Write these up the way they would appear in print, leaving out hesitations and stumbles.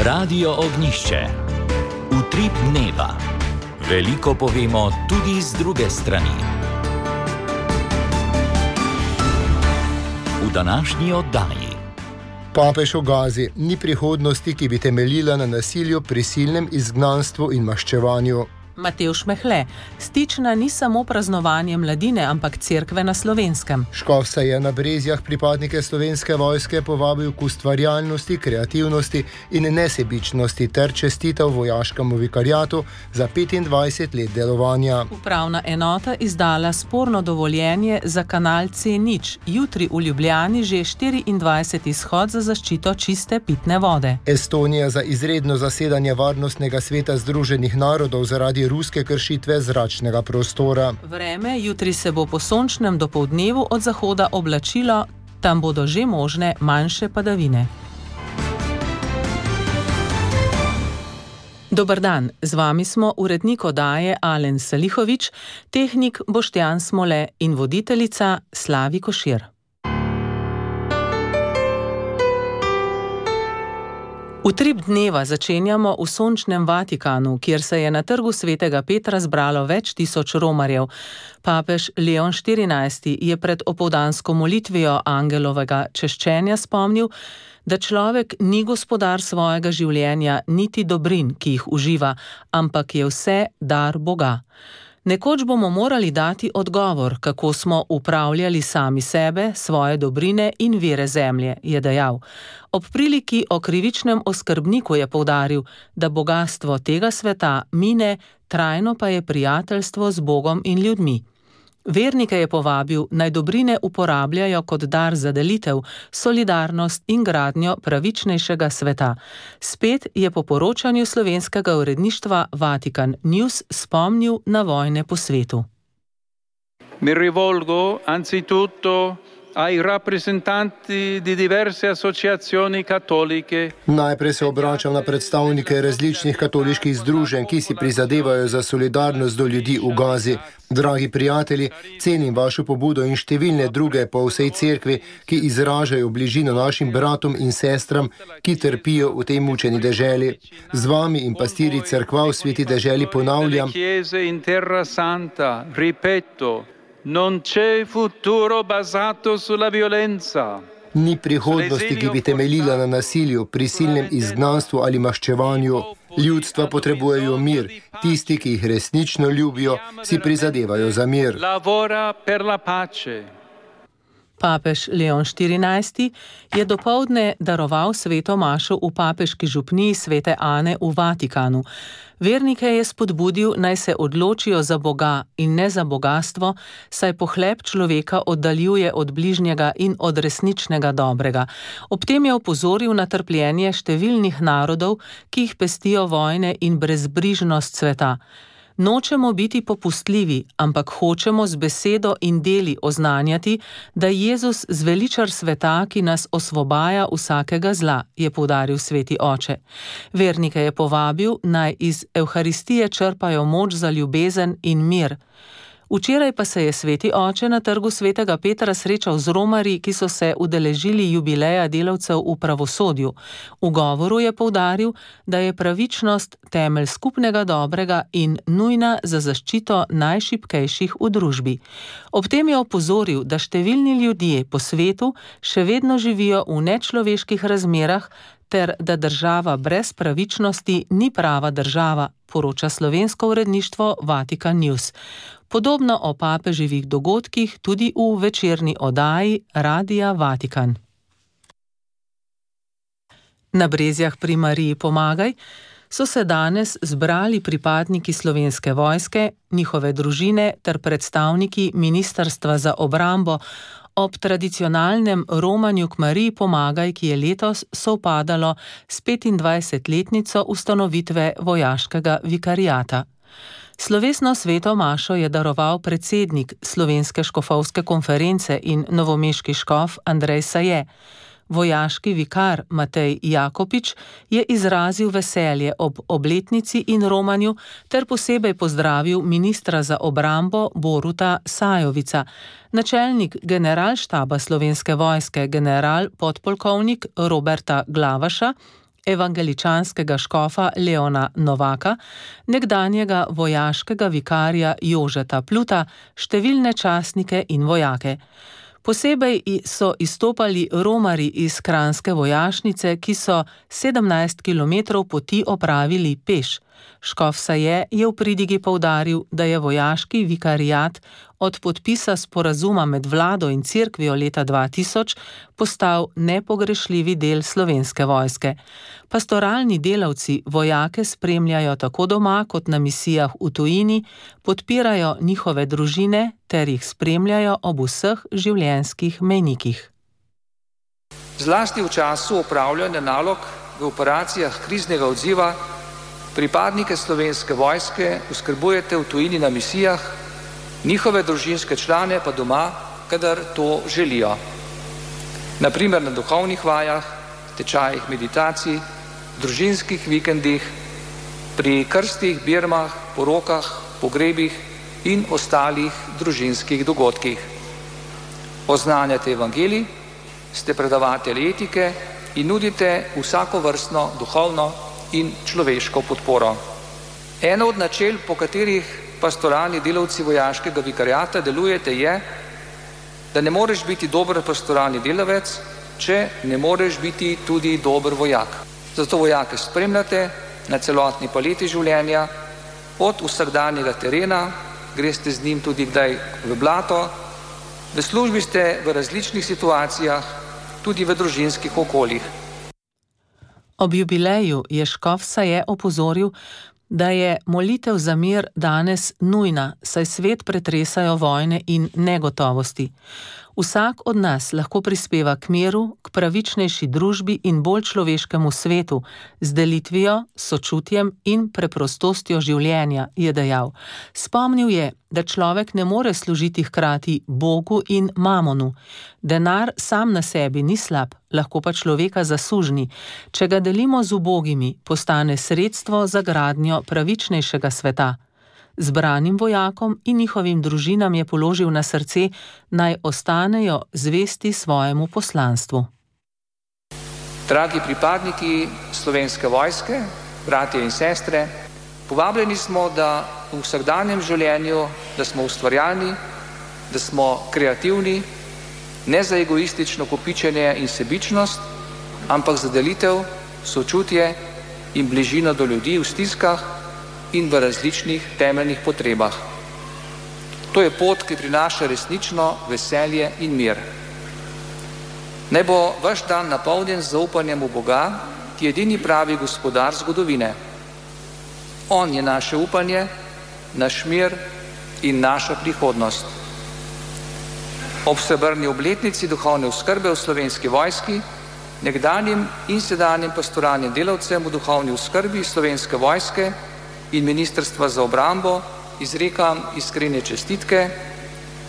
Radio Ognišče. Utrip dneva. Veliko povemo tudi z druge strani. V današnji oddaji. Papež o Gazi: ni prihodnosti, ki bi temeljila na nasilju, prisilnem izgnanstvu in maščevanju. Matevž Mehle: Stična ni samo praznovanje mladine, ampak cerkve na Slovenskem. Škof se je na Brezjah pripadnike Slovenske vojske povabil k ustvarjalnosti, kreativnosti in nesebičnosti ter čestitev vojaškemu vikariatu za 25 let delovanja. Upravna enota izdala sporno dovoljenje za kanal C0. Jutri v Ljubljani že 24. izhod za zaščito čiste pitne vode. Estonija za izredno zasedanje Varnostnega sveta Združenih narodov zaradi ruske kršitve zračnega prostora. Vreme: jutri se bo po sončnem dopoldnevu od zahoda oblačilo, tam bodo že možne manjše padavine. Dober dan, z vami smo urednik oddaje Alen Salihovič, tehnik Boštjan Smole in voditeljica Slavi Košir. Utrip dneva začenjamo v sončnem Vatikanu, kjer se je na trgu svetega Petra zbralo več tisoč romarjev. Papež Leon XIV je pred opoldansko molitvijo angelovega češčenja spomnil, da človek ni gospodar svojega življenja niti dobrin, ki jih uživa, ampak je vse dar Boga. Nekoč bomo morali dati odgovor, kako smo upravljali sami sebe, svoje dobrine in vire zemlje, je dejal. Ob priliki o krivičnem oskrbniku je poudaril, da bogastvo tega sveta mine, trajno pa je prijateljstvo z Bogom in ljudmi. Vernike je povabil, naj dobrine uporabljajo kot dar za delitev, solidarnost in gradnjo pravičnejšega sveta. Spet je po poročanju slovenskega uredništva Vatikan News spomnil na vojne po svetu. Mi rivolgo anzitutto ai rappresentanti di diverse associazioni cattoliche. Najprej se obračam na predstavnike različnih katoliških združenj, ki si prizadevajo za solidarnost do ljudi v Gazi. Dragi prijatelji, cenim vašo pobudo in številne druge po vsej cerkvi, ki izražajo bližino našim bratom in sestram, ki trpijo v tej mučeni deželi. Z vami in pastiri cerkva v sveti deželi ponavljam: non c'è futuro basato sulla violenza. Ni prihodnosti, ki bi temeljila na nasilju, prisilnem izgnanstvu ali maščevanju. Ljudstva potrebujejo mir. Tisti, ki jih resnično ljubijo, si prizadevajo za mir. Papež Leon XIV je dopoldne daroval sveto mašo v papeški župniji svete Ane v Vatikanu. Vernike je spodbudil, naj se odločijo za Boga in ne za bogastvo, saj pohlep človeka oddaljuje od bližnjega in od resničnega dobrega. Ob tem je opozoril na trpljenje številnih narodov, ki jih pestijo vojne in brezbrižnost sveta. Nočemo biti popustljivi, ampak hočemo z besedo in deli oznanjati, da Jezus zveličar sveta, ki nas osvobaja vsakega zla, je poudaril sveti oče. Vernike je povabil, naj iz Evharistije črpajo moč za ljubezen in mir. Včeraj pa se je sveti oče na trgu svetega Petra srečal z romarji, ki so se udeležili jubileja delavcev v pravosodju. V govoru je poudaril, da je pravičnost temelj skupnega dobrega in nujna za zaščito najšibkejših v družbi. Ob tem je opozoril, da številni ljudje po svetu še vedno živijo v nečloveških razmerah ter da država brez pravičnosti ni prava država, poroča slovensko uredništvo Vatikan News. Podobno o papeževih dogodkih tudi v večerni oddaji Radia Vatikan. Na Brezjah pri Mariji Pomagaj so se danes zbrali pripadniki Slovenske vojske, njihove družine ter predstavniki Ministrstva za obrambo ob tradicionalnem romanju k Mariji Pomagaj, ki je letos sovpadalo s 25-letnico ustanovitve vojaškega vikariata. Slovesno sveto mašo je daroval predsednik Slovenske škofovske konference in novomeški škof Andrej Saje. Vojaški vikar Matej Jakopič je izrazil veselje ob obletnici in romanju ter posebej pozdravil ministra za obrambo Boruta Sajovica. Načelnik generalštaba Slovenske vojske general podpolkovnik Roberta Glavaša evangeličanskega škofa Leona Novaka, nekdanjega vojaškega vikarja Jožeta Pluta, številne častnike in vojake. Posebej so izstopali romarji iz kranjske vojašnice, ki so 17 kilometrov poti opravili peš. Škof Saje je v pridigi poudaril, da je vojaški vikariat od podpisa sporazuma med vlado in cerkvijo leta 2000 postal nepogrešljivi del Slovenske vojske. Pastoralni delavci vojake spremljajo tako doma kot na misijah v tujini, podpirajo njihove družine ter jih spremljajo ob vseh življenjskih mejnikih. Zlasti v času opravljanja nalog v operacijah kriznega odziva pripadnike Slovenske vojske oskrbujete v tujini na misijah, njihove družinske člane pa doma, kadar to želijo. Naprimer na duhovnih vajah, tečajih meditacij, družinskih vikendih, pri krstih, birmah, porokah, pogrebih in ostalih družinskih dogodkih. Oznanjate evangelij, ste predavatelji etike in nudite vsakovrstno duhovno in človeško podporo. Eno od načel, po katerih pastoralni delavci vojaškega vikariata delujete, je, da ne moreš biti dober pastoralni delavec, če ne moreš biti tudi dober vojak. Zato vojake spremljate na celotni paleti življenja, od vsakdanjega terena, greste z njim tudi kdaj v blato, v službi ste v različnih situacijah, tudi v družinskih okoljih. Ob jubileju je škof Saje opozoril, da je molitev za mir danes nujna, saj svet pretresajo vojne in negotovosti. Vsak od nas lahko prispeva k miru, k pravičnejši družbi in bolj človeškemu svetu, z delitvijo, sočutjem in preprostostjo življenja, je dejal. Spomnil je, da človek ne more služiti hkrati Bogu in mamonu. Denar sam na sebi ni slab, lahko pa človeka zasužni. Če ga delimo z ubogimi, postane sredstvo za gradnjo pravičnejšega sveta. Zbranim vojakom in njihovim družinam je položil na srce, naj ostanejo zvesti svojemu poslanstvu. Dragi pripadniki Slovenske vojske, bratje in sestre, povabljeni smo, da v vsakdanjem življenju, da smo ustvarjalni, da smo kreativni, ne za egoistično kopičenje in sebičnost, ampak za delitev, sočutje in bližino do ljudi v stiskah in v različnih temeljnih potrebah. To je pot, ki prinaša resnično veselje in mir. Naj bo vaš dan napolnjen z zaupanjem v Boga, ki je edini pravi gospodar zgodovine. On je naše upanje, naš mir in naša prihodnost. Ob srebrni obletnici duhovne oskrbe v Slovenski vojski, nekdanjim in sedanjim pastoralnim delavcem v duhovni oskrbi Slovenske vojske in Ministrstva za obrambo izrekam iskrene čestitke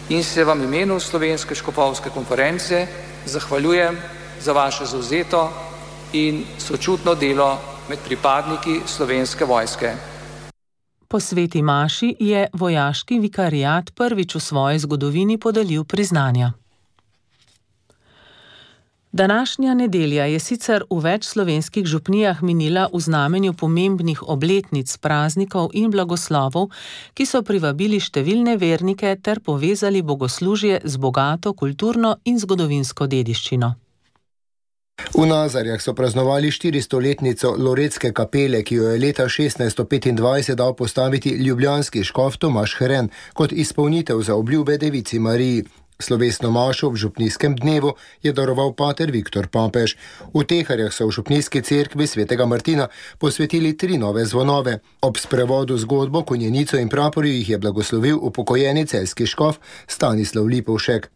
in se vam v imenu Slovenske škofovske konference zahvaljujem za vaše zavzeto in sočutno delo med pripadniki Slovenske vojske. Po sveti maši je vojaški vikariat prvič v svoji zgodovini podelil priznanja. Današnja nedelja je sicer v več slovenskih župnijah minila v znamenju pomembnih obletnic, praznikov in blagoslovov, ki so privabili številne vernike ter povezali bogoslužje z bogato kulturno in zgodovinsko dediščino. V Nazarjah so praznovali 400-letnico Loretske kapele, ki jo je leta 1625 dal postaviti ljubljanski škof Tomaž Hren kot izpolnitev za obljube devici Mariji. Slovesno mašo v župnijskem dnevu je daroval pater Viktor Papež. V Teharjah so v župnijski cerkvi svetega Martina posvetili 3 nove zvonove. Ob sprevodu zgodbo, konjenico in praporju jih je blagoslovil upokojeni celjski škof Stanislav Lipovšek.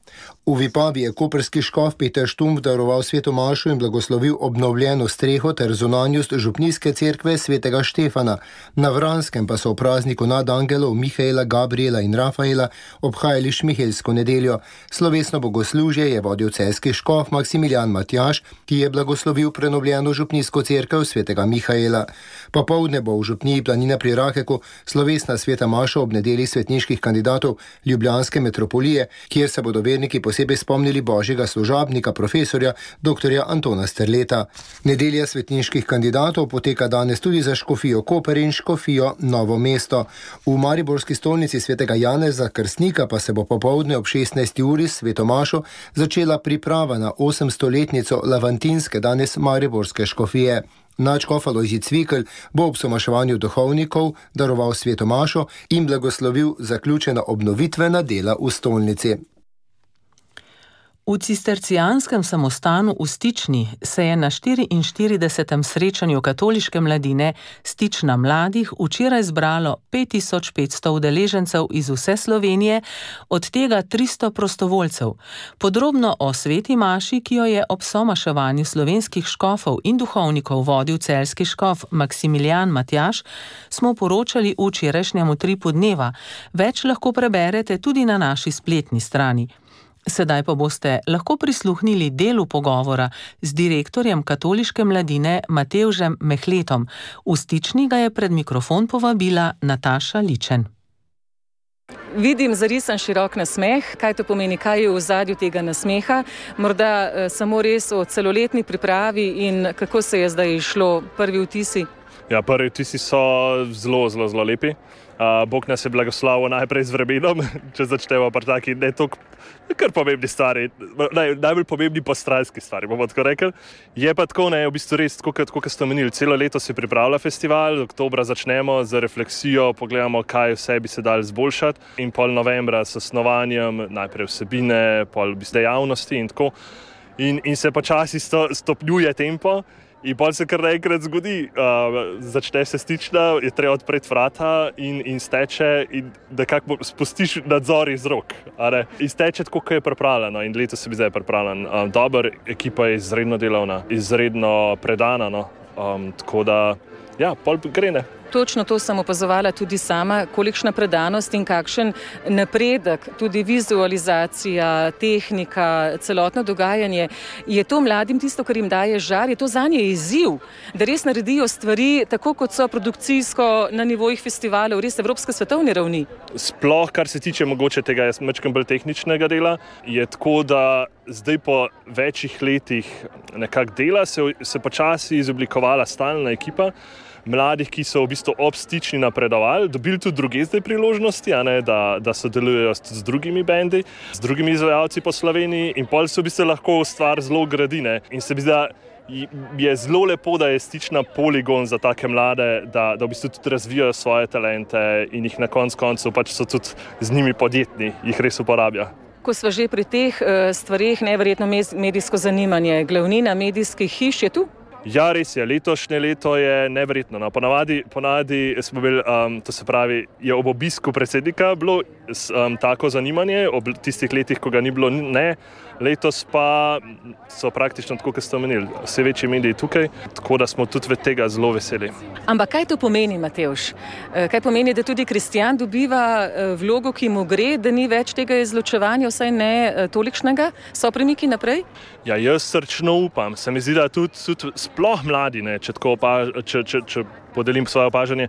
V Vipavi je koprski škof Peter Štumpf daroval sveto mašo in blagoslovil obnovljeno streho ter zunanjost župnijske cerkve svetega Štefana. Na Vranskem pa so v prazniku nadangelov Mihaela, Gabriela in Rafaela obhajali šmihelsko nedeljo. Slovesno bogoslužje je vodil celjski škof Maksimilijan Matjaž, ki je blagoslovil prenovljeno župnijsko cerkev svetega Mihaela. Popoldne bo v župniji Planina pri Rakeku slovesna sveta maša ob nedelji svetniških kandidatov Ljubljanske metropolije, kjer se bodo verniki posebej spomnili božjega služabnika, profesorja dr. Antona Sterleta. Nedelja svetniških kandidatov poteka danes tudi za škofijo Koper in škofijo Novo mesto. V mariborski stolnici svetega Janeza Krstnika pa se bo popoldne ob 16. uri s sveto mašo začela priprava na 800-letnico lavantinske danes mariborske škofije. Nadškof Alojzij Cvikl bo ob somaševanju duhovnikov daroval sveto mašo in blagoslovil zaključena obnovitvena dela v stolnici. V cistercijanskem samostanu v Stični se je na 44. srečanju katoliške mladine Stična mladih včeraj zbralo 5500 udeležencev iz vse Slovenije, od tega 300 prostovoljcev. Podrobno o sveti maši, ki jo je ob somaševanju slovenskih škofov in duhovnikov vodil celjski škof Maksimilijan Matjaž, smo poročali v včerajšnjem Utripu dneva. Več lahko preberete tudi na naši spletni strani. Sedaj pa boste lahko prisluhnili delu pogovora z direktorjem katoliške mladine Matevžem Mehletom. V Stični ga je pred mikrofon povabila Nataša Ličen. Vidim zarisan širok nasmeh. Kaj to pomeni, kaj je v ozadju tega nasmeha? Morda samo res o celoletni pripravi in kako se je zdaj išlo, prvi vtisi? Ja, prvi vtisi so zelo lepi. Bog nas je blagoslavil najprej z vremenom, če začnemo pa taki ne toliko kar pomembni stvari, najbolj pomembni postrajski stvari, bomo tako rekli. Je pa tako, v bistvu res, tako kot ste omenili, celo leto se pripravlja festival, oktobra začnemo z refleksijo, pogledamo, kaj vse bi se dali izboljšati in pol novembra s snovanjem, najprej vsebine, pol dejavnosti in tako. In se počasi stopnjuje tempo. In pol se kar naenkrat zgodi, začne se Stična, je treba odpreti vrata in steče in nekako spustiš nadzor iz rok. In steče tako, kot je pripravljeno in letos se bi zdaj pripravljen. Dober, ekipa je izredno delavna, izredno predana, tako da, ja, pol gre. Točno to sem opazovala tudi sama, kolikšna predanost in kakšen napredek, tudi vizualizacija, tehnika, celotno dogajanje. Je to mladim tisto, kar jim daje žar? Je to zanje izziv, da res naredijo stvari tako, kot so produkcijsko na nivojih festivalov, res evropske svetovne ravni? Sploh, kar se tiče mogoče tega malo bolj tehničnega dela, je tako, da zdaj po večjih letih nekako dela se počasi izoblikovala stalna ekipa mladih, ki so v bistvu ob Stični napredovali, dobili tudi druge zdaj priložnosti, da sodelujejo z drugimi bendi, z drugimi izvajalci po Sloveniji in pol se v bistvu lahko stvar zelo gradi. In se mi zdi, da je zelo lepo, da je Stična poligon za take mlade, da v bistvu tudi razvijajo svoje talente in jih na koncu pač so tudi z njimi podjetni, jih res uporablja. Ko sva že pri teh stvareh, neverjetno medijsko zanimanje, glavnina medijskih hiš je tu? Ja, res je. Letošnje leto je neverjetno. Ponavadi smo bili, to se pravi, je ob obisku predsednika bilo tako zanimanje, ob tistih letih, ko ga ni bilo, ne. Letos pa so praktično, tako kot ste omenili, vse večji mediji tukaj, tako da smo tudi tega zelo veseli. Ampak kaj to pomeni, Matevž? Kaj pomeni, da tudi kristjan dobiva vlogo, ki mu gre, da ni več tega izločevanja, vsaj ne tolikšnega? So premiki naprej? Ja, jaz srčno upam. Se mi zdi, da tudi sploh mladi, če podelim svoje opažanje,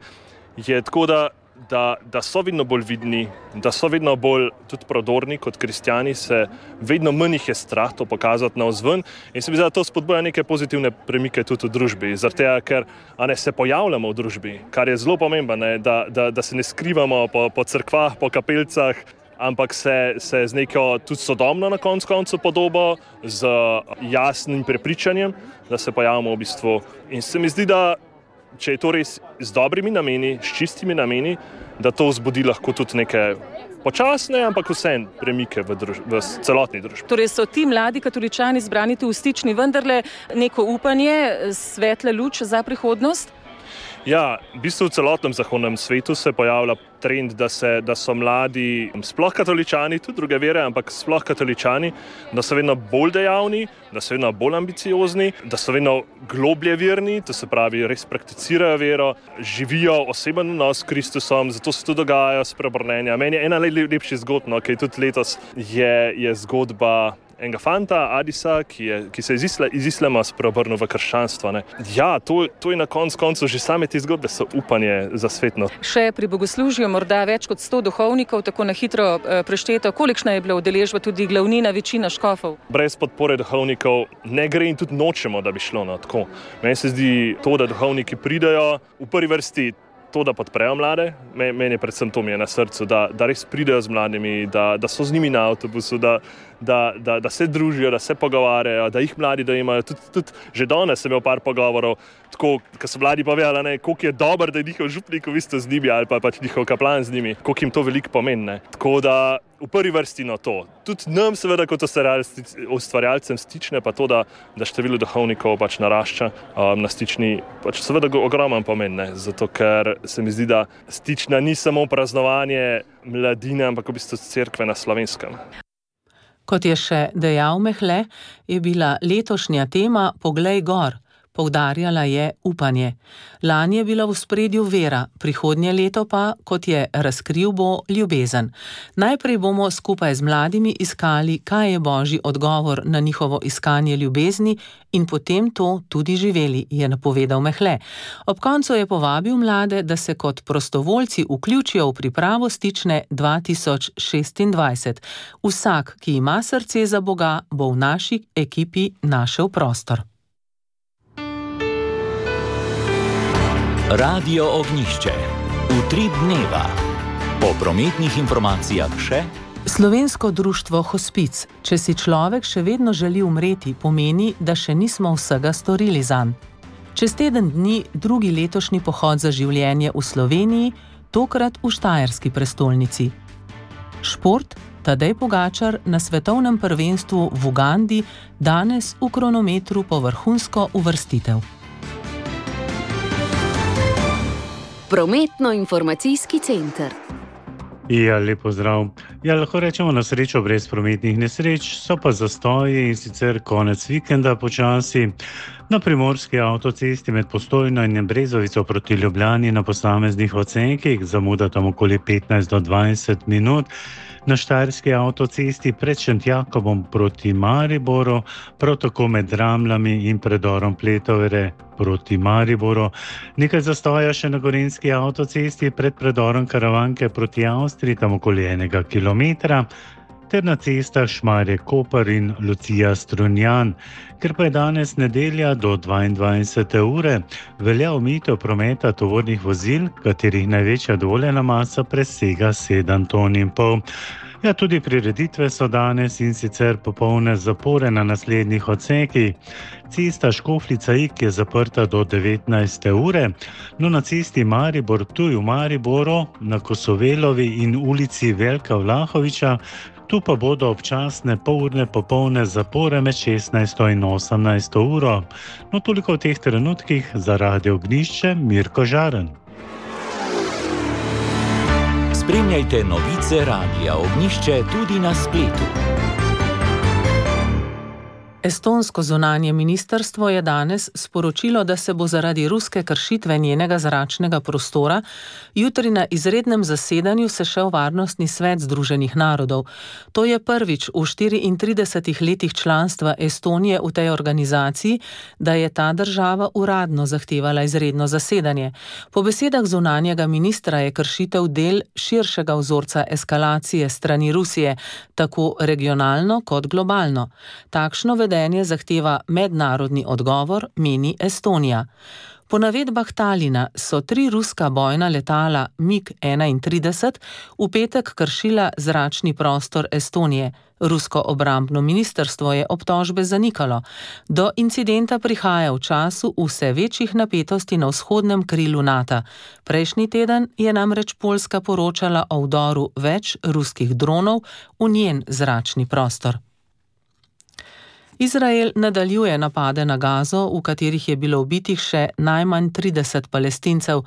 je tako, da so vedno bolj vidni, da so vedno bolj tudi prodorni kot kristjani, se vedno manj jih je strah to pokazati navzven in se mi zdi, da to spodbuja neke pozitivne premike tudi v družbi, zaradi tega, ker se pojavljamo v družbi, kar je zelo pomembno, da se ne skrivamo po cerkvah, po kapeljcah, ampak se z neko tudi sodobno na koncu podobo, z jasnim prepričanjem, da se pojavimo v bistvu. In se mi zdi, da če je to res z dobrimi nameni, s čistimi nameni, da to vzbudi lahko tudi neke počasne, ampak vseeno premike v celotni družbi. Torej so ti mladi katoličani zbrani tu v Stični vendarle neko upanje, svetla luč za prihodnost? Ja, v bistvu v celotnem zahodnem svetu se pojavlja trend, da so mladi, sploh katoličani, tudi druge vere, ampak sploh katoličani, da so vedno bolj dejavni, da so vedno bolj ambiciozni, da so vedno globlje verni, to se pravi, res prakticirajo vero, živijo oseben odnos s Kristusom, zato se tudi dogajajo spreobrnenja. Meni je ena najlepših zgodb, ki je tudi letos, je zgodba enega fanta, Adisa, ki se iz islama spreobrnil v krščanstvo. Ne. Ja, to je na koncu že same te zgodbe so upanje za svet. No. Še pri bogoslužju morda več kot 100 duhovnikov, tako na hitro prešteto. Kolikšna je bila udeležba, tudi glavnina, večina škofov? Brez podpore duhovnikov ne gre in tudi nočemo, da bi šlo na tako. Meni se zdi to, da duhovniki pridejo v prvi vrsti to, da podprejo mlade, meni je predvsem to mi je na srcu, da res pridejo z mladimi, da so z njimi na avtobusu, da se družijo, da se pogovarjajo, da jih mladi dojemajo. Tudi že danes sem imel par pogovorov, tako, ko so mladi povedali, koliko je dober, da je njihov župnik v bistvu z njimi ali pa pač njihov kaplan z njimi, koliko jim to veliko pomeni. Ne. Tako da v prvi vrsti to. Tudi nam seveda kot ustvarjalcem Stične pa to, da število duhovnikov pač narašča na Stični, pač seveda ogromen pomen, ne. Zato ker se mi zdi, da Stična ni samo praznovanje mladine, ampak v bistvu cerkve na Slovenskem. Kot je še dejal Mehle, je bila letošnja tema Poglej gor. Poudarjala je upanje. Lani je bila v ospredju vera, prihodnje leto pa, kot je razkril, bo ljubezen. Najprej bomo skupaj z mladimi iskali, kaj je božji odgovor na njihovo iskanje ljubezni in potem to tudi živeli, je napovedal Mehle. Ob koncu je povabil mlade, da se kot prostovoljci vključijo v pripravo Stične 2026. Vsak, ki ima srce za Boga, bo v naši ekipi našel prostor. Radio Ognjišče. Utrip dneva. Po prometnih informacijah še Slovensko društvo Hospic. Če si človek še vedno želi umreti, pomeni, da še nismo vsega storili zanj. Čez teden dni drugi letošnji pohod za življenje v Sloveniji, tokrat v štajerski prestolnici. Šport. Tadej Pogačar na svetovnem prvenstvu v Ugandi, danes v kronometru po vrhunsko uvrstitev. Prometno-informacijski center. Ja, lep pozdrav. Ja, lahko rečemo na srečo brez prometnih nesreč, so pa zastoji in sicer konec vikenda počasi. Na primorski avtocesti med Postojno in Brezovico proti Ljubljani na posameznih odsekih, zamuda tam okoli 15 do 20 minut. Na štajerski avtocesti pred Šentjakobom proti Mariboru, prav tako med Ramljami in predorom Pletovere proti Mariboru. Nekaj zastoja še na gorenjski avtocesti pred predorom Karavanke proti Avstriji, tam okoli 1 kilometra, ter na cestah Šmarje-Koper in Lucija-Strunjan. Ker pa je danes nedelja do 22. ure, velja omejitev prometa tovornih vozil, katerih največja dovoljena masa presega 7,5 ton. Ja, tudi prireditve so danes in sicer popolne zapore na naslednjih odsekih. Cesta Škofljica-Ig je zaprta do 19. ure, no na cesti Maribor-Ptuj v Mariboru, na Kosovelovi in ulici Veljka Vlahoviča, tu pa bodo občasne polurne popolne zapore med 16. in 18. uro. No, toliko v teh trenutkih za Radio Ognjišče, Mirko Žaren. Spremljajte novice Radia Ognjišče tudi na spletu. Estonsko zunanje ministrstvo je danes sporočilo, da se bo zaradi ruske kršitve njenega zračnega prostora jutri na izrednem zasedanju sešel Varnostni svet Združenih narodov. To je prvič v 34 letih članstva Estonije v tej organizaciji, da je ta država uradno zahtevala izredno zasedanje. Po besedah zunanjega ministra je kršitev del širšega vzorca eskalacije strani Rusije, tako regionalno kot globalno. Takšno vedenje zahteva mednarodni odgovor, meni Estonija. Po navedbah Talina so 3 ruska bojna letala MiG-31 v petek kršila zračni prostor Estonije. Rusko obrambno ministrstvo je obtožbe zanikalo. Do incidenta prihaja v času vse večjih napetosti na vzhodnem krilu NATO. Prejšnji teden je namreč Poljska poročala o vdoru več ruskih dronov v njen zračni prostor. Izrael nadaljuje napade na Gazo, v katerih je bilo ubitih še najmanj 30 Palestincev.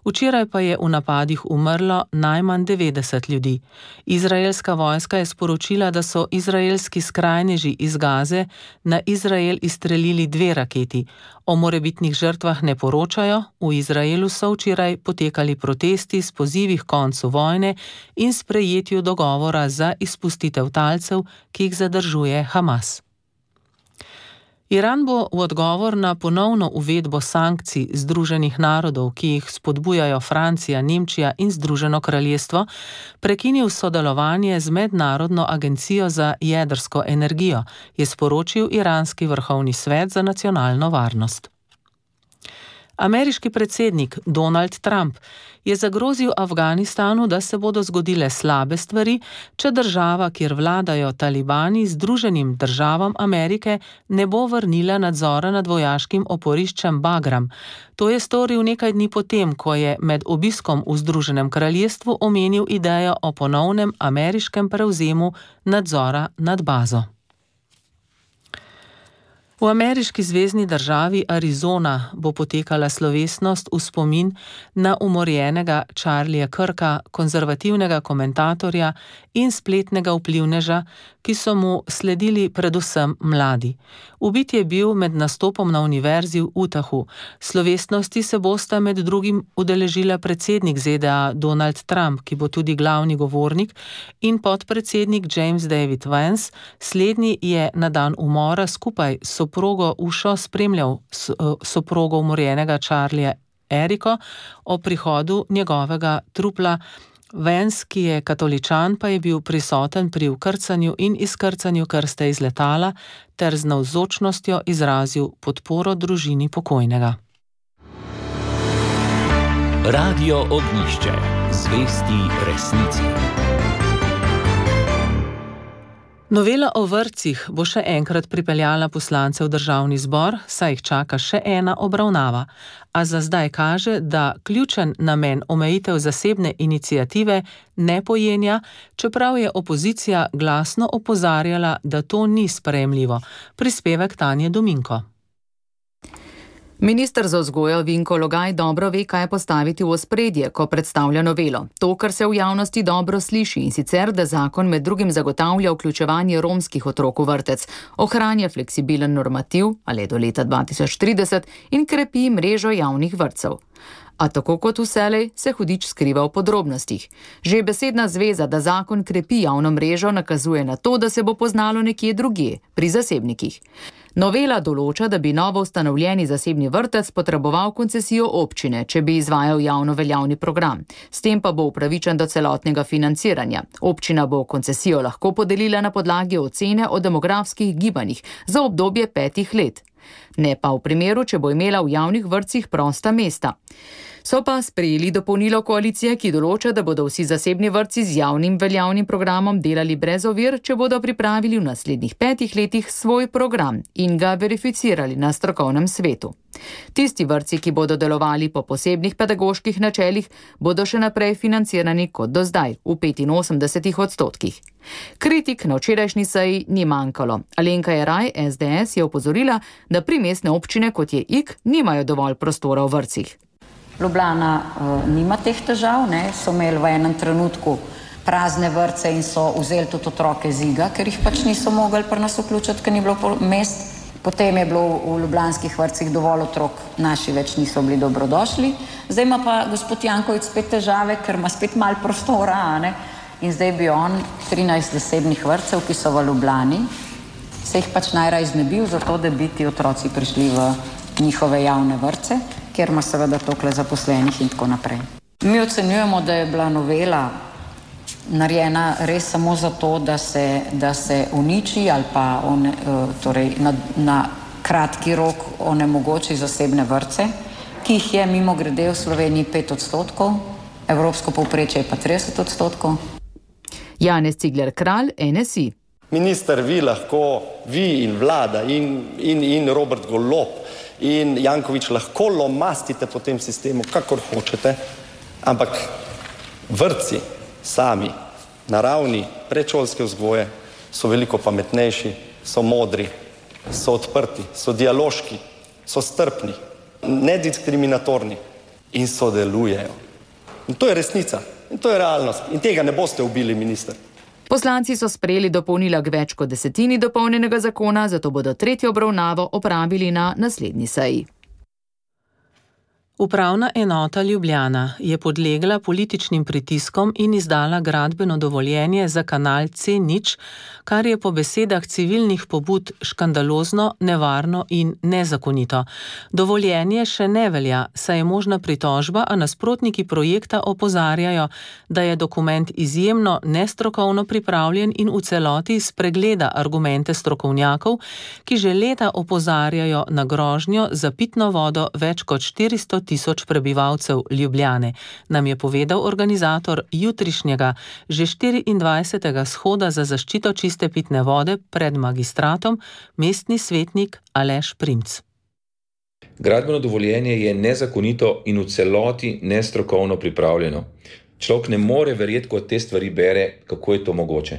Včeraj pa je v napadih umrlo najmanj 90 ljudi. Izraelska vojska je sporočila, da so izraelski skrajneži iz Gaze na Izrael izstrelili 2 raketi. O morebitnih žrtvah ne poročajo, v Izraelu so včeraj potekali protesti s pozivi k koncu vojne in sprejetju dogovora za izpustitev talcev, ki jih zadržuje Hamas. Iran bo v odgovor na ponovno uvedbo sankcij Združenih narodov, ki jih spodbujajo Francija, Nemčija in Združeno kraljestvo, prekinil sodelovanje z Mednarodno agencijo za jedrsko energijo, je sporočil iranski vrhovni svet za nacionalno varnost. Ameriški predsednik Donald Trump je zagrozil Afganistanu, da se bodo zgodile slabe stvari, če država, kjer vladajo talibani, Združenim državam Amerike ne bo vrnila nadzora nad vojaškim oporiščem Bagram. To je storil nekaj dni potem, ko je med obiskom v Združenem kraljestvu omenil idejo o ponovnem ameriškem prevzemu nadzora nad bazo. V ameriški zvezni državi Arizona bo potekala slovesnost v spomin na umorjenega Charlieja Kirka, konzervativnega komentatorja in spletnega vplivneža, ki so mu sledili predvsem mladi. Ubit je bil med nastopom na univerzi v Utahu. Slovesnosti se bosta med drugim udeležila predsednik ZDA Donald Trump, ki bo tudi glavni govornik, in podpredsednik James David Vance. Slednji je na dan umora skupaj s soprogo Ušo spremljal soprogo umorjenega Charlieja Eriko o prihodu njegovega trupla. Vance, ki je katoličan, pa je bil prisoten pri vkrcanju in izkrcanju krste iz letala ter z navzočnostjo izrazil podporo družini pokojnega. Radio Ognjišče. Zvesti resnici. Novela o vrtcih bo še enkrat pripeljala poslance v državni zbor, saj jih čaka še ena obravnava. A za zdaj kaže, da ključen namen omejitev zasebne iniciative ne pojenja, čeprav je opozicija glasno opozarjala, da to ni sprejemljivo. Prispevek Tanje Dominko. Minister za vzgojo Vinko Logaj dobro ve, kaj postaviti v ospredje, ko predstavlja novelo. To, kar se v javnosti dobro sliši, in sicer, da zakon med drugim zagotavlja vključevanje romskih otrok v vrtec, ohranja fleksibilen normativ, ali do leta 2030, in krepi mrežo javnih vrtcev. A tako kot vselej se hudič skriva v podrobnostih. Že besedna zveza, da zakon krepi javno mrežo, nakazuje na to, da se bo poznalo nekje drugje, pri zasebnikih. Novela določa, da bi novo ustanovljeni zasebni vrtec potreboval koncesijo občine, če bi izvajal javno veljavni program. S tem pa bo upravičen do celotnega financiranja. Občina bo koncesijo lahko podelila na podlagi ocene o demografskih gibanjih za obdobje 5 let. Ne pa v primeru, če bo imela v javnih vrtcih prosta mesta. So pa sprejeli dopolnilo koalicije, ki določa, da bodo vsi zasebni vrtci z javnim veljavnim programom delali brez ovir, če bodo pripravili v naslednjih 5 letih svoj program in ga verificirali na strokovnem svetu. Tisti vrtci, ki bodo delovali po posebnih pedagoških načelih, bodo še naprej financirani kot do zdaj, v 85%. Kritik na včerajšnji seji ni manjkalo. Alenka Jeraj, SDS, je opozorila, da primestne občine, kot je Ig, nimajo dovolj prostora v vrtcih. Ljubljana nima teh težav, so imeli v enem trenutku prazne vrtce in so vzeli tudi otroke z Iga, ker jih pač niso mogli pri nas vključiti, ker ni bilo mest. Potem je bilo v ljubljanskih vrtcih dovolj otrok, naši več niso bili dobrodošli. Zdaj ima pa gospod Janković spet težave, ker ima spet malo prostora, in zdaj bi on 13 zasebnih vrtcev, ki so v Ljubljani, se jih pač najraje znebil, zato da bi ti otroci prišli v njihove javne vrtce, kjer ima seveda toliko zaposlenih in tako naprej. Mi ocenjujemo, da je bila novela narejena res samo zato, da se uniči ali pa torej na kratki rok onemogoči zasebne vrtce, ki jih je mimogrede v Sloveniji 5%, evropsko povprečje je pa 30%. Janez Cigler Kralj, NSI. Minister, vi in vlada in Robert Golob in Janković lahko lomastite po tem sistemu, kakor hočete, ampak vrtci sami na ravni predšolske vzgoje so veliko pametnejši, so modri so odprti, so dialoški, so strpni, nediskriminatorni in sodelujejo. In to je resnica, in to je realnost. In tega ne boste ubili, minister. Poslanci so sprejeli dopolnila k več kot 10 dopolnjenega zakona, zato bodo tretjo obravnavo opravili na naslednji seji. Upravna enota Ljubljana je podlegla političnim pritiskom in izdala gradbeno dovoljenje za kanal C0, kar je po besedah civilnih pobud škandalozno, nevarno in nezakonito. Dovoljenje še ne velja, saj je možna pritožba, a nasprotniki projekta opozarjajo, da je dokument izjemno nestrokovno pripravljen in v celoti spregleda argumente strokovnjakov, ki že leta opozarjajo na grožnjo za pitno vodo več kot 400.000 prebivalcev Ljubljane, nam je povedal organizator jutrišnjega, že 24. shoda za zaščito čiste pitne vode pred magistratom, mestni svetnik Aleš Primc. Gradbeno dovoljenje je nezakonito in v celoti nestrokovno pripravljeno. Človek ne more verjeti, ko te stvari bere, kako je to mogoče.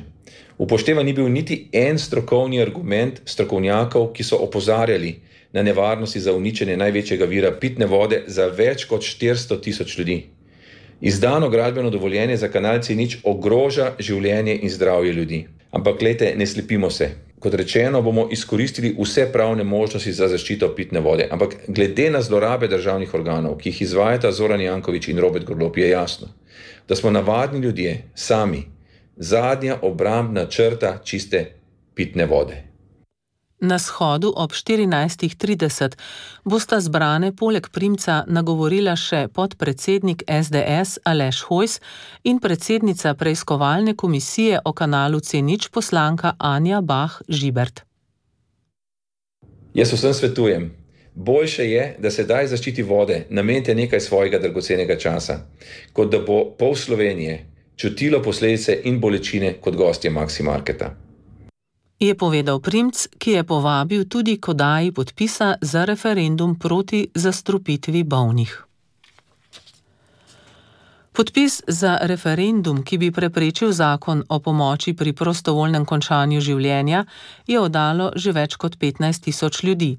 Upoštevan ni bil niti en strokovni argument strokovnjakov, ki so opozarjali na nevarnosti za uničenje največjega vira pitne vode za več kot 400.000 ljudi. Izdano gradbeno dovoljenje za kanal C0 ogroža življenje in zdravje ljudi. Ampak glejte, ne slepimo se. Kot rečeno, bomo izkoristili vse pravne možnosti za zaščito pitne vode. Ampak glede na zlorabe državnih organov, ki jih izvajata Zoran Janković in Robert Golob, je jasno, da smo navadni ljudje sami zadnja obrambna črta čiste pitne vode. Na shodu ob 14.30 bosta zbrane poleg Primca nagovorila še podpredsednik SDS Aleš Hojs in predsednica preiskovalne komisije o kanalu C0 poslanka Anja Bah Žibert. Jaz vsem svetujem, boljše je, da sedaj zaščiti vode namenite nekaj svojega dragocenega časa, kot da bo pol Slovenije čutilo posledice in bolečine kot gostje Maxi Marketa. Je povedal Primc, ki je povabil tudi k oddaji podpisa za referendum proti zastrupitvi bolnih. Podpis za referendum, ki bi preprečil zakon o pomoči pri prostovoljnem končanju življenja, je oddalo že več kot 15.000 ljudi.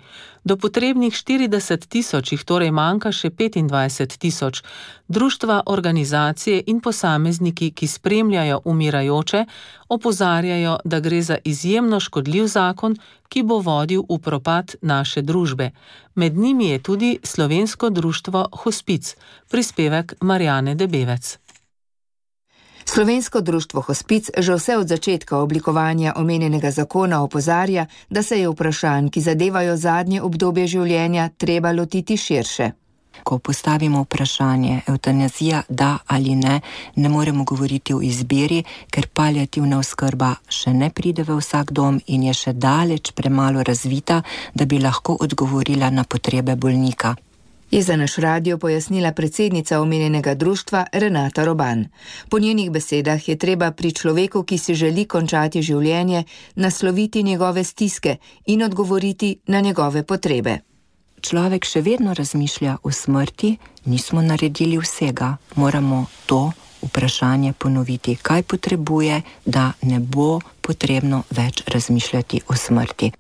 Do potrebnih 40.000 jih torej manjka še 25.000. Društva, organizacije in posamezniki, ki spremljajo umirajoče, opozarjajo, da gre za izjemno škodljiv zakon, ki bo vodil v propad naše družbe. Med njimi je tudi slovensko društvo Hospic, prispevek Marjane Debevec. Slovensko društvo Hospic že vse od začetka oblikovanja omenjenega zakona opozarja, da se je vprašanj, ki zadevajo zadnje obdobje življenja, treba lotiti širše. Ko postavimo vprašanje evtanazija da ali ne, ne moremo govoriti o izbiri, ker paliativna oskrba še ne pride v vsak dom in je še daleč premalo razvita, da bi lahko odgovorila na potrebe bolnika. Je za naš radio pojasnila predsednica omenjenega društva Renata Roban. Po njenih besedah je treba pri človeku, ki si želi končati življenje, nasloviti njegove stiske in odgovoriti na njegove potrebe. Človek še vedno razmišlja o smrti, nismo naredili vsega, moramo to vprašanje ponoviti, kaj potrebuje, da ne bo potrebno več razmišljati o smrti.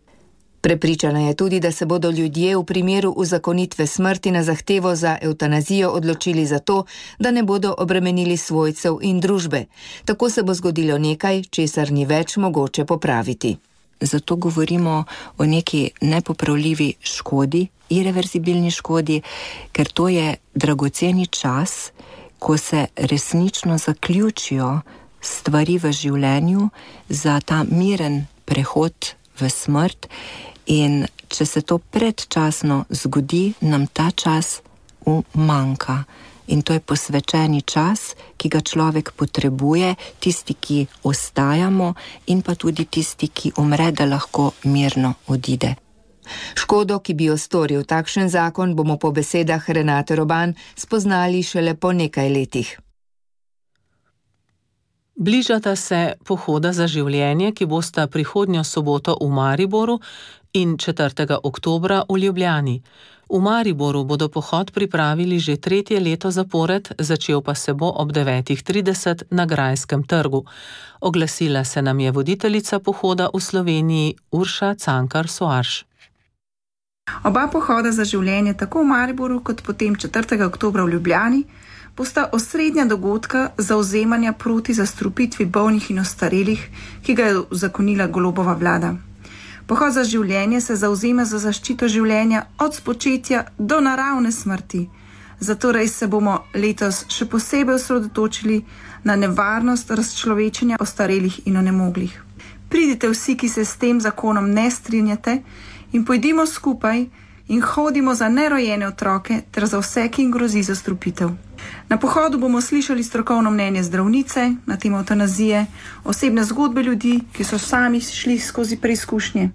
Prepričana je tudi, da se bodo ljudje v primeru uzakonitve smrti na zahtevo za evtanazijo odločili za to, da ne bodo obremenili svojcev in družbe. Tako se bo zgodilo nekaj, česar ni več mogoče popraviti. Zato govorimo o neki nepopravljivi škodi, irreverzibilni škodi, ker to je dragoceni čas, ko se resnično zaključijo stvari v življenju za ta miren prehod v smrt. In če se to predčasno zgodi, nam ta čas umanjka. In to je posvečeni čas, ki ga človek potrebuje, tisti, ki ostajamo, in pa tudi tisti, ki umre, da lahko mirno odide. Škodo, ki bi jo storil takšen zakon, bomo po besedah Renate Roban spoznali šele po nekaj letih. Bližata se pohoda za življenje, ki bosta prihodnjo soboto v Mariboru in 4. oktobra v Ljubljani. V Mariboru bodo pohod pripravili že 3. leto zapored, začel pa se bo ob 9:30 na Grajskem trgu. Oglasila se nam je voditeljica pohoda v Sloveniji Urša Cankar-Soarš. Oba pohoda za življenje, tako v Mariboru kot potem 4. oktobra v Ljubljani, bosta osrednja dogodka zavzemanja proti zastrupitvi bolnih in ostarelih, ki ga je uzakonila Golobova vlada. Pohod za življenje se zavzema za zaščito življenja od spočetja do naravne smrti. Zatorej se bomo letos še posebej osredotočili na nevarnost razčlovečenja ostarelih in onemoglih. Pridite vsi, ki se s tem zakonom ne strinjate, in pojdimo skupaj in hodimo za nerojene otroke ter za vse, ki jim grozi zastrupitev. Na pohodu bomo slišali strokovno mnenje zdravnice na temo evtanazije, osebne zgodbe ljudi, ki so sami šli skozi preizkušnje.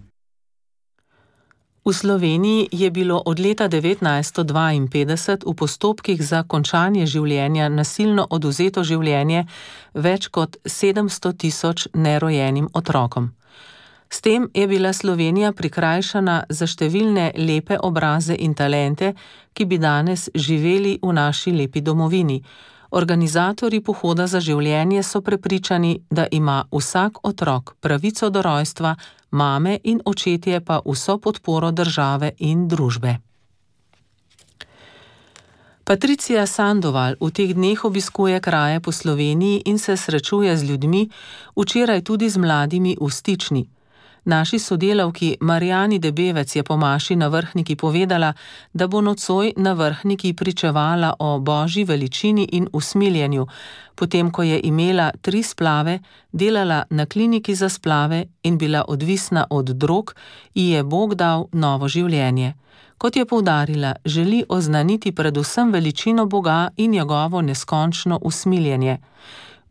V Sloveniji je bilo od leta 1952 v postopkih za končanje življenja nasilno oduzeto življenje več kot 700 tisoč nerojenim otrokom. S tem je bila Slovenija prikrajšana za številne lepe obraze in talente, ki bi danes živeli v naši lepi domovini. Organizatorji pohoda za življenje so prepričani, da ima vsak otrok pravico do rojstva, mame in očetje pa vso podporo države in družbe. Patricija Sandoval v teh dneh obiskuje kraje po Sloveniji in se srečuje z ljudmi, včeraj tudi z mladimi v Stični. Naši sodelavki Marjani Debevec je po maši na Vrhniki povedala, da bo nocoj na Vrhniki pričevala o božji veličini in usmiljenju, potem ko je imela 3 splave, delala na kliniki za splave in bila odvisna od drog, ji je Bog dal novo življenje. Kot je poudarila, želi oznaniti predvsem veličino Boga in njegovo neskončno usmiljenje.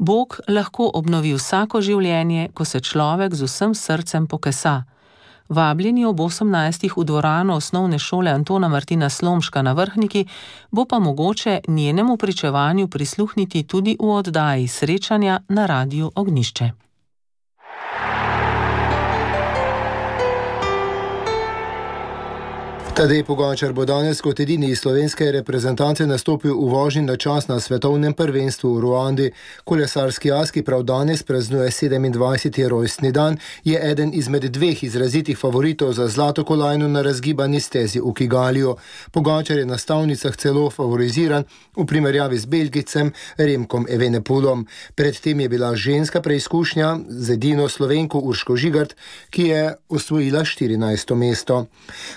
Bog lahko obnovi vsako življenje, ko se človek z vsem srcem pokesa. Vabljeni ob 18. v dvorano osnovne šole Antona Martina Slomška na Vrhniki, bo pa mogoče njenemu pričevanju prisluhniti tudi v oddaji srečanja na Radiu Ognjišče. Tadej Pogačar bo danes kot edini iz slovenske reprezentance nastopil v vožnji na čas na svetovnem prvenstvu v Ruandi. Kolesarski as, ki prav danes praznuje 27. rojstni dan, je eden izmed 2 izrazitih favoritov za zlato kolajno na razgibani stezi v Kigaliju. Pogačar je na stavnicah celo favoriziran v primerjavi z Belgijcem Remkom Evenepoelom. Predtem je bila ženska preizkušnja z edino Slovenko Urško Žigart, ki je osvojila 14. mesto.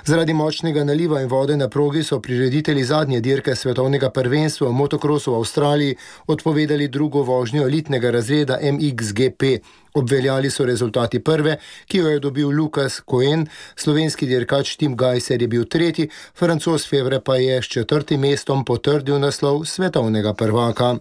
Zaradi močnega naliva in vode na progi so prireditelji zadnje dirke svetovnega prvenstva v motokrosu v Avstraliji odpovedali drugo vožnjo elitnega razreda MXGP. Obveljali so rezultati prve, ki jo je dobil Lukas Cohen, slovenski dirkač Tim Gajser je bil 3., Francoz Fevre pa je s 4. mestom potrdil naslov svetovnega prvaka.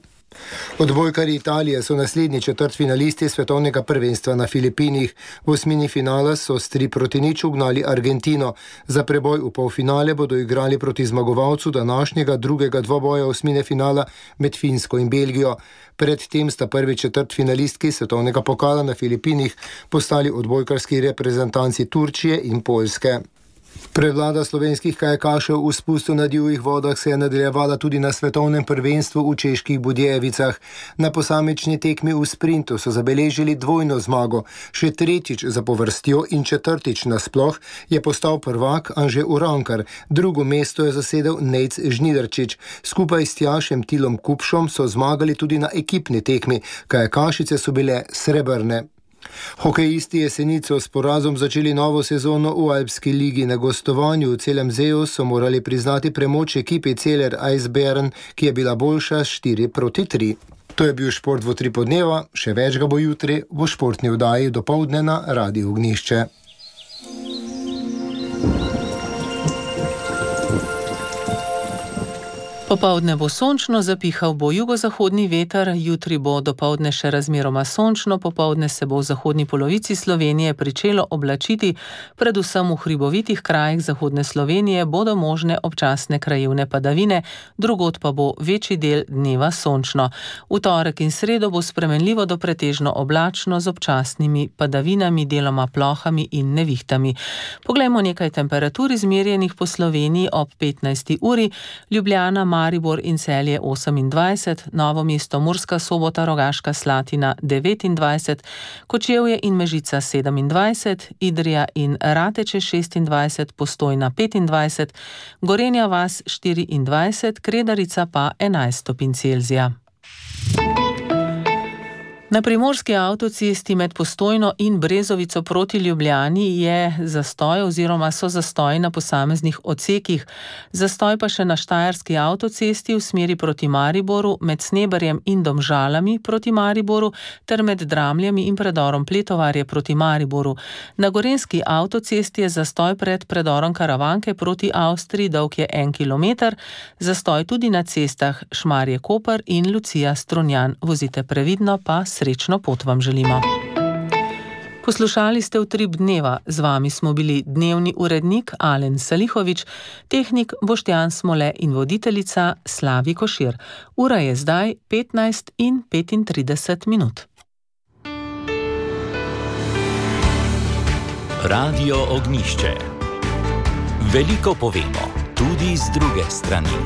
Odbojkarji Italije so naslednji četrtfinalisti svetovnega prvenstva na Filipinih. V osmini finala so s 3-0 ugnali Argentino. Za preboj v polfinale bodo igrali proti zmagovalcu današnjega drugega dvoboja osmine finala med Finsko in Belgijo. Predtem sta prvi četrtfinalistki svetovnega pokala na Filipinih postali odbojkarski reprezentanci Turčije in Poljske. Prevlada slovenskih kajakašev v spustu na divjih vodah se je nadaljevala tudi na svetovnem prvenstvu v Čeških Budjevicah. Na posamični tekmi v sprintu so zabeležili dvojno zmago. Še 3. zapovrstjo in 4. nasploh je postal prvak Anže Urankar. Drugo mesto je zasedel Nejc Žnidarčič. Skupaj s Tjašem Tilom Kupšom so zmagali tudi na ekipni tekmi. Kajakašice so bile srebrne. Hokejisti Jesenico s porazom začeli novo sezono v Alpski ligi. Na gostovanju v Celem Zeju so morali priznati premoč ekipi Celer Eisbären, ki je bila boljša 4-3. To je bil šport v 3 podneva, še več ga bo jutri v športni oddaji dopoldne na Radiu Ognjišče. Popoldne bo sončno, zapihal bo jugozahodni veter, jutri bo dopoldne še razmeroma sončno, popoldne se bo v zahodni polovici Slovenije pričelo oblačiti, predvsem v hribovitih krajih zahodne Slovenije bodo možne občasne krajevne padavine, drugod pa bo večji del dneva sončno. V torek in sredo bo spremenljivo do pretežno oblačno z občasnimi padavinami, deloma plohami in nevihtami. Poglejmo nekaj temperatur izmerjenih po Sloveniji ob 15. uri. Ljubljana, Maribor in Celje 28, Novo mesto, Murska Sobota, Rogaška Slatina 29, Kočevje in Mežica 27, Idrija in Rateče 26, Postojna 25, Gorenja vas 24, Kredarica pa 11 stopinj Celzija. Na primorski avtocesti med Postojno in Brezovico proti Ljubljani je zastoj oziroma so zastoji na posameznih odsekih. Zastoj pa še na štajerski avtocesti v smeri proti Mariboru, med Sneberjem in Domžalami proti Mariboru ter med Dramljami in predorom Pletovarje proti Mariboru. Na gorenjski avtocesti je zastoj pred predorom Karavanke proti Avstriji, dolg je 1 kilometer, zastoj tudi na cestah Šmarje-Koper in Lucija-Strunjan. Vozite previdno, pa srečno pot vam želimo. Poslušali ste Utrip dneva. Z vami smo bili dnevni urednik Alen Salihovič, tehnik Boštjan Smole in voditeljica Slavi Košir. Ura je zdaj 15:35 minut. Radio Ognjišče. Veliko povemo, tudi z druge strani.